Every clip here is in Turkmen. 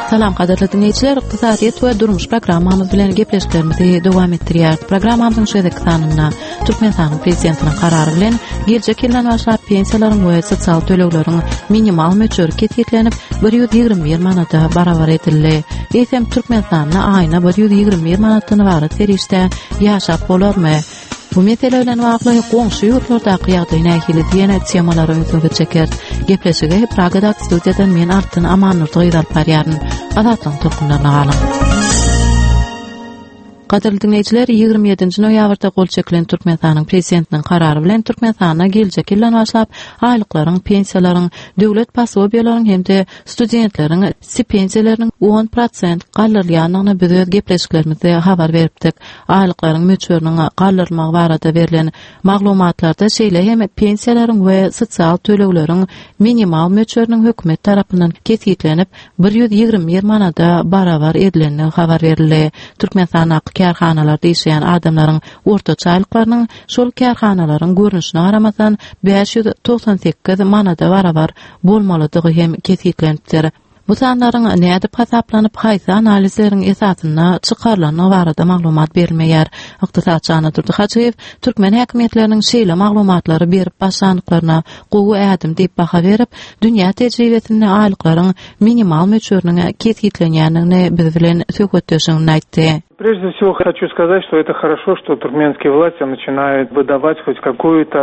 Salam gadyrly diňleýjiler, ykdysadyýet we durmuş programmamyz bilen gepleşiklerimizi dowam etdirýäris. Programmamyzyň şu gezekki sanynda Türkmenistanyň Prezidentiniň karary bilen geljek ýyldan başlap pensiýalaryň we sosial tölegleriň minimal möçberi kesgitlenip, 121 manada barabar edildi. Eýsem, Türkmenistanda aýyna 121 manatdan ybarat serişdä ýaşap bolarmy? Bu mesele bilen bagly goňşy ýurtlardaky ýagdaý nähili diýen temalara ünsüňizi çekeris. Gepleşigi Pragadaky studiýadan men Altyn Amannurdy gyz alyp barýaryn. Azatlygyň tolkunlaryna galyň. Gadyrly diňleýjiler, 27-nji noýabrda gol çekilen Türkmenistanyň Prezidentiniň karary bilen Türkmenistanda geljek ýyldan başlap aýlyklaryň, pensiýalaryň, döwlet posobiýalaryň hem-de studentleriň stipendiýalarynyň 10 prosent galdyrylýandygyny biz öz gepleşiklerimizde habar beripdik. Aýlyklaryň möçberiniň galdyrylmagy barada berlen maglumatlarda şeýle hem pensiýalaryň we sosial tölegleriň minimal möçberiniň hökümet tarapyndan kesgitlenip, 121 manada barabar edilendigi habar berildi. Türkmenistandaky kärhanalarda işleýän adamlaryň ortaça aýlyklarynyň şol kärhanalaryň görnüşine garamazdan 598 manada barabar bolmalydygy hem kesgitlenipdir. Bu sanlaryň nädip hasaplanyp, haýsy analizleriň esasynda çykarylandygy barada maglumat berilmeýär. Ykdysatçy Annadurdy Hajyýew türkmen häkimiýetleriniň şeýle maglumatlary berip başlandyklaryna gowy ädim diýip baha berip, dünýä tejribesinde aýlyklaryň minimal möçberiniň kesgitlenýändigini biz bilen söhbetdeşliginde aýtdy. Прежде всего хочу сказать, что это хорошо, что туркменские власти начинают выдавать хоть какую-то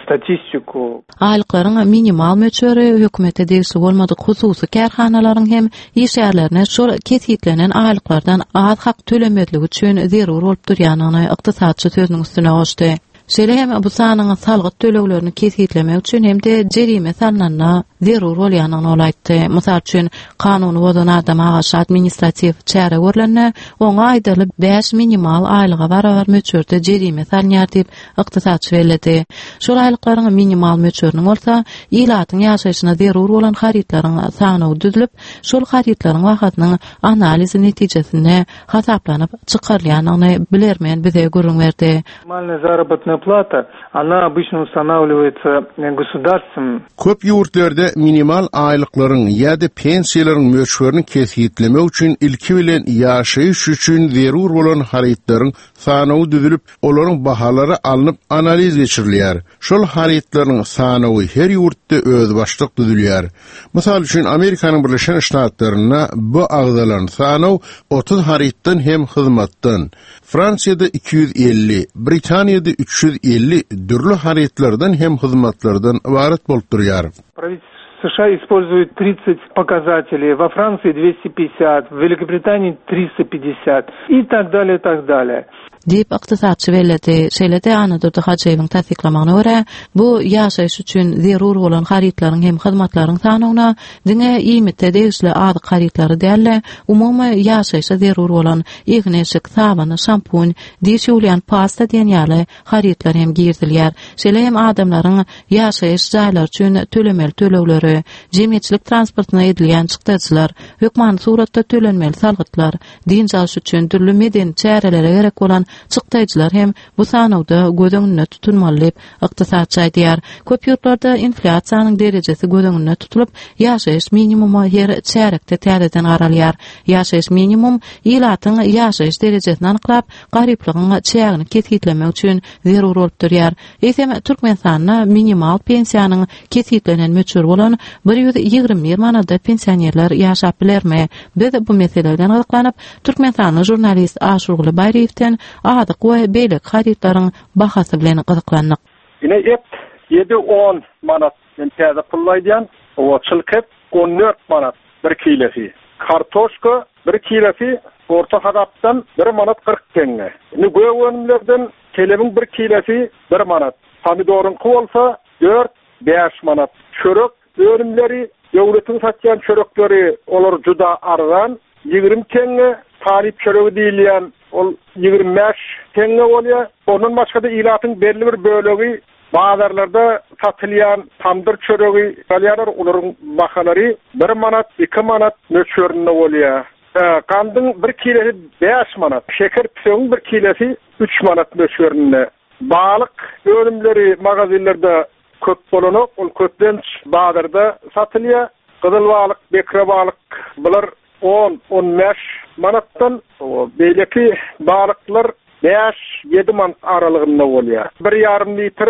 статистику. Aýlyklaryň minimal möçberi hökümete degişli bolmadyk hususy kärhanalaryň hem işgärlerine şol kesgitlenen aýlyklardan az hak tölemezligi üçin zerur bolup durýandygyny ykdysatçy sözüniň üstüne goşdy. Şeýle hem bu sanyň salgyt töleglerini kesgitlemek üçin hem-de jerime salnanda zerur bolýandygyny ol aýtdy. Mysal üçin, kanuny bozan adama garşy administratiw çäre görlende, oňa aýdaly bäş minimal aýlyga barabar möçberde jerime salynýar diýip, ykdysatçy belledi. Şol aýlyklaryň minimal möçberiniň bolsa, ilatyň ýaşaýşyna zerur bolan harytlaryň sanawy düzlüp, şol harytlaryň bahasynyň analizi netijesinde hasaplanyp çykarylýandygyny bilermen bize gürrüň berdi. Minimalная заработная plata, ona obычно ustanawliwaýtsa gosudarstwem. Köp ýurtlarda minimal aýlyklaryň ýa-da pensiýalaryň möçberini kesgitlemek üçin ilki bilen ýaşaýyş üçin zerur bolan harytlaryň sanawy düzülip, olaryň bahalary alnyp analiz geçirilýär. Şol harytlaryň sanawy her ýurtda özbaşdak düzülýär. Mysal üçin, Amerikanyň Birleşen Ştatlarynda bu agzalan sanaw 30 harytdan hem hyzmatdan, Fransiýada 250, Britaniýada 350 dürli harytlardan hem hyzmatlardan ybarat bolup durýar. США используют 30 показателей, во Франции 250, в Великобритании 350 и так далее, так далее. Diýip, ykdysatçy belledi. Şeýle-de Annadurdy Hajyýewiň tassyklamagyna görä, bu ýaşaýyş üçin zerur bolan harytlaryň hem hyzmatlaryň sanawyna diňe iýmite degişli azyk harytlary däl-de, umumy ýaşaýşa zerur bolan egin-eşik, sabyn, şampun, diş ýuwulýan pasta diýen ýaly harytlar hem girizilýär. Şeýle hem adamlaryň ýaşaýyş jaýlary üçin tölemeli tölegleri, jemgyýetçilik transportyna edilýän çykdajylar, hökmany suratda tölenmeli salgytlar, dynç alyş üçin dürli medeni çärelere gerek bolan çykdaýjylar hem bu sanawda göz öňünde tutulmaly diýip, ykdysatçy aýdýar. Köp ýurtlarda inflýasiýanyň derejesi göz öňünde tutulyp, ýaşaýyş minimuma her çärýekde täzeden garalýar. Ýaşaýyş minimum ilatyň ýaşaýyş derejesini anyklap, garyplygyň çägini kesgitlemek üçin zerur bolup durýar. Eýsem, Türkmenistanda minimal pensiýanyň kesgitlenen möçberi bolan 121 manada pensionerler ýaşap bilermi? Biz bu mesele bilen gyzyklanyp, türkmenistanly žurnalist Aşyrguly Baýryýewden azyk we beýleki harytlaryň bahasy bilen gyzyklandyk. Ine et ýedi on manat men täze pully aýdýan owa çylk et on dört manat bir kilesi kartoşka bir kilesi orta hasapdan bir manat 40 teňňe indi gök önümlerden kelebiň bir kilesi bir manat pomidoryňky bolsa dört bäş manat çörek önümleri döwletiň satýan çörekleri olar juda arzan 20 teňňe talyp çöregi diýilýän ol 25 teňňe bolýar. Ondan başga-da ilatyň belli bir bölegi bazarlarda satylýan tamdyr çöregi alýarlar, olaryň bahalary 1 manat, 2 manat möçberinde bolýar. Gandyň bir kilesi 5 manat, şeker püsegiň bir kilesi 3 manat möçberinde. Balyk önümleri magazinlerde köp bolanok, ol köplenç bazarda satylýar. Gyzyl balyk, bekre balyk bular. On, 15 manatdan, beýleki balyklar bäş, ýedi manat aralygynda bolýar. Bir ýarym litr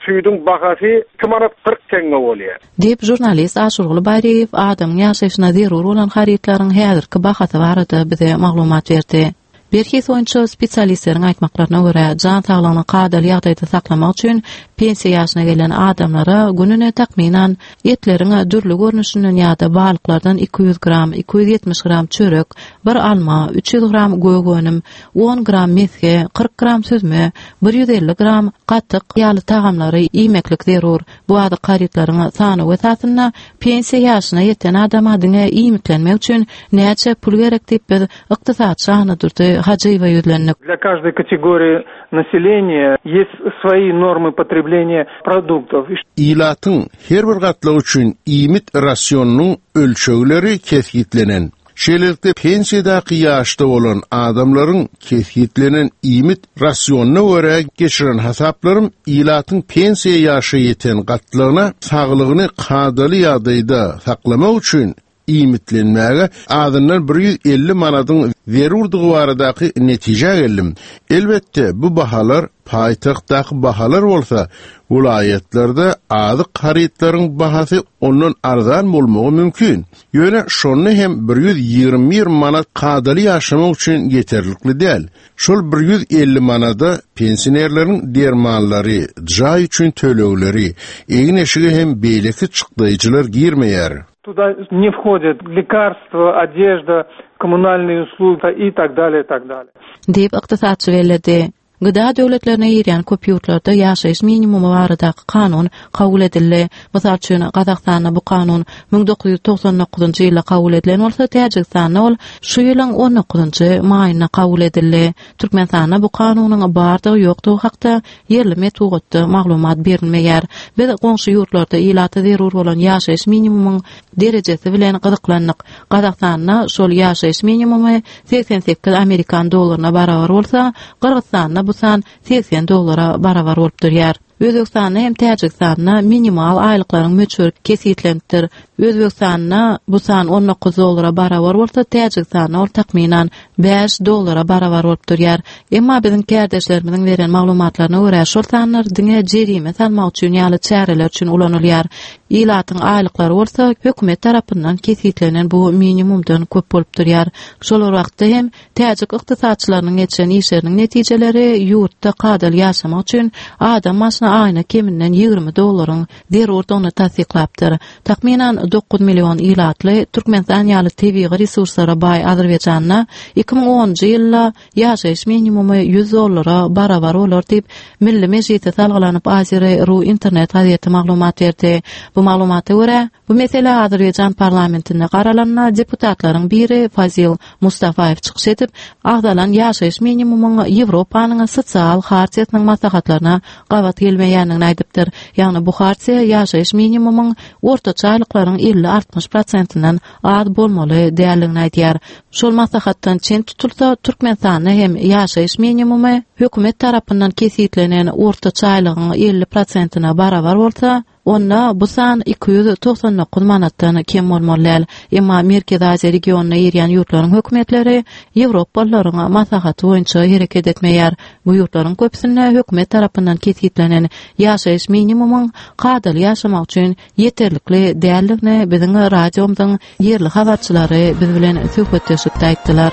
süýdüň bahasy iki manat 40 teňňe bolýar. Diýip, žurnalist Aşyrguly Baýryýew adamyň ýaşaýşyna zerur bolan harytlaryň häzirki bahasy barada bize maglumat berdi. Berhiz boýunça spesialistleriň aýtmaklaryna görä, jan saglygyny kadaly ýagdaýda saklamak üçin pensiýa ýaşyna gelen adamlara gününe takmynan etleriň dürli görnüşinden ýa-da balyklardan 200 gram, 270 gram çörek, bir alma, 300 gram gök önüm, on gram mesge, 40 gram süzme, 150 gram gatyk ýaly tagamlary iýmeklik zerur. Bu azyk harytlaryň sanawy esasynda pensiýa ýaşyna ýeten adama diňe iýmitlenmek üçin näçe pul gerek diýip biz ykdysatçy Annadurdy Hajyýewe ýüzlendik. Для каждой категории населения есть свои нормы потребления продуктов. Ilatyň her bir gatlagy üçin iýmit rasionynyň ölçegleri kesgitlenen. Şeýlelikde, pensiýadaky ýaşda bolan adamlaryň kesgitlenen iýmit rasionyna görä geçiren hasaplarym ilatyň pensiýa ýaşa ýeten gatlagyna saglygyny kadaly ýagdaýda saklamak üçin iýmitlenmäge azyndan 150 manadyň zerurdygy baradaky netijä geldim. Elbetde, bu bahalar paýtagtdaky bahalar bolsa, welaýatlarda azyk harytlaryň bahasy ondan arzan bolmagy mümkin. Ýöne şonda hem 121 manat kadaly ýaşamak üçin ýeterlikli däl. Şol 150 manada pensionerleriň dermanlary, jaý üçin tölegleri, egin-eşige hem beýleki çykdaýjylar girmeýär. Туда не входят лекарства, одежда, коммунальные услуги и так далее, и так далее. Diýip, ykdysatçy belledi. GDA döwletlerine girýän köp ýurtlarda ýaşaýyş minimumy baradaky kanun kabul edildi. Mysal üçin, Gazagystanda bu kanun 1999-njy ýylda kabul edilen bolsa, Täjigistanda ol şu ýylyň on dokuzynjy maýynda kabul edildi. Türkmenistanda bu kanunyň bardygy-ýokdugy hakda ýerli metbugatda maglumat berilmeýär. Biz goňşy ýurtlarda ilata zerur bolan ýaşaýyş minimumyň derejesi bilen gyzyklandyk. Gazagystanda şol ýaşaýyş minimumy 88 amerikan dollaryna barabar bolsa, Gyrgyzystanda bu san 80 dollara barabar bolup durýar. Özbegistanda hem Täjigistanda minimal aýlyklaryň möçberi kesgitlenipdir. Özbegistanda bu san 19 dollara barabar bolsa, Täjigistanda ol takmynan 5 dollara barabar bolup durýar. Emma biziň kärdeşlerimiziň beren maglumatlaryna görä, şol sanlar diňe jerime salmak üçin ýaly çäreler üçin ulanylýar. Ilatyň aýlyklary bolsa hökümet tarapyndan kesgitlenen bu minimumdan köp bolup durýar. Şol bir wagtda hem täjik ykdysatçylarynyň geçiren işleriniň netijeleri ýurtda kadaly ýaşamak üçin adam başyna aýyna keminden 20 dollaryň zerurdygyny tassyklapdyr. Takmynan 9 million ilatly Türkmenistan ýaly tebigy resurslara baý Azerbaýjanda 2010-njy ýylda ýaşaýyş minimumy 100 dollara barabar bolar diýip, Milli Mejlise salgylanyp Azeri. Ru internet gazeti maglumat berdi. Bu maglumata görä, bu mesele Azerbaýjan parlamentinde garalanda deputatlaryň biri Fazil Mustafaýew çykyş edip, agzalan ýaşaýyş minimumyň Ýewropanyň sosial hartiýasynyň maslahatlaryna gabat gelmeýändigini aýdypdyr. Ýagny bu hartiýa ýaşaýyş minimumyň ortaça aýlyklaryň 50-60 prosentinden az bolmaly däldigini aýdýar. Şol maslahatdan çen tutulsa, Türkmenistanda hem ýaşaýyş minimumy hökümet tarapyndan kesgitlenen ortaça aýlygyň 50 prosentine barabar bolsa, onda bu san 299 manatdan kem bolmaly däl. Emma Merkezi Aziýa regionyna girýän ýurtlaryň hökümetleri ýewropalylaryň maslahaty boýunça hereket etmeýär. Bu ýurtlaryň köpüsinde hökümet tarapyndan kesgitlenen ýaşaýyş minimumyň kadaly ýaşamak üçin ýeterlikli däldigini biziň radiomyzyň ýerli habarçylary biz bilen söhbetdeşlikde aýtdylar.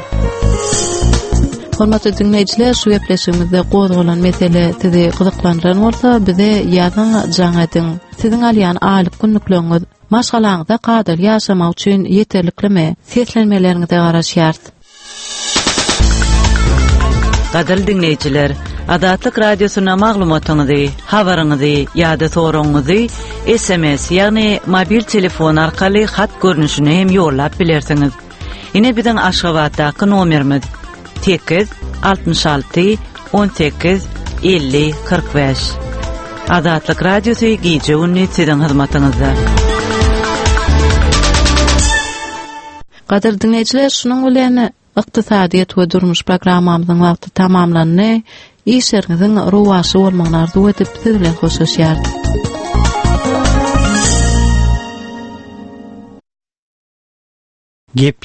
Hormatly diňleýjiler, şu gepleşigimizde gozgalan mesele sizi gyzyklandyran bolsa, bize ýazyň, jaň ediň. Siziň alýan aýlyk günlükleriňiz maşgalaňyzda kadaly ýaşamak üçin ýeterliklimi? Seslenmeleriňize garaşýarys. Gadyrly diňleýjiler, Azatlyk Radiosyna maglumatyňyzy, habaryňyzy ýa-da soragyňyzy SMS, ýagny mobil telefon arkaly hat görnüşinde hem ýollap bilersiňiz. Ine biziň Aşgabatdaky nomerimiz 8 66 18 50 45. Azatlyk Radiosy gije-gündiz siziň hyzmatyňyzda. Gadyrly diňleýjiler, şunuň bilen Ykdysadyýet we durmuş programmamyzyň wagty tamamlandy. Işleriňiziň rowaçly bolmagyny arzuw edip, siz bilen hoşlaşýarys. Gep.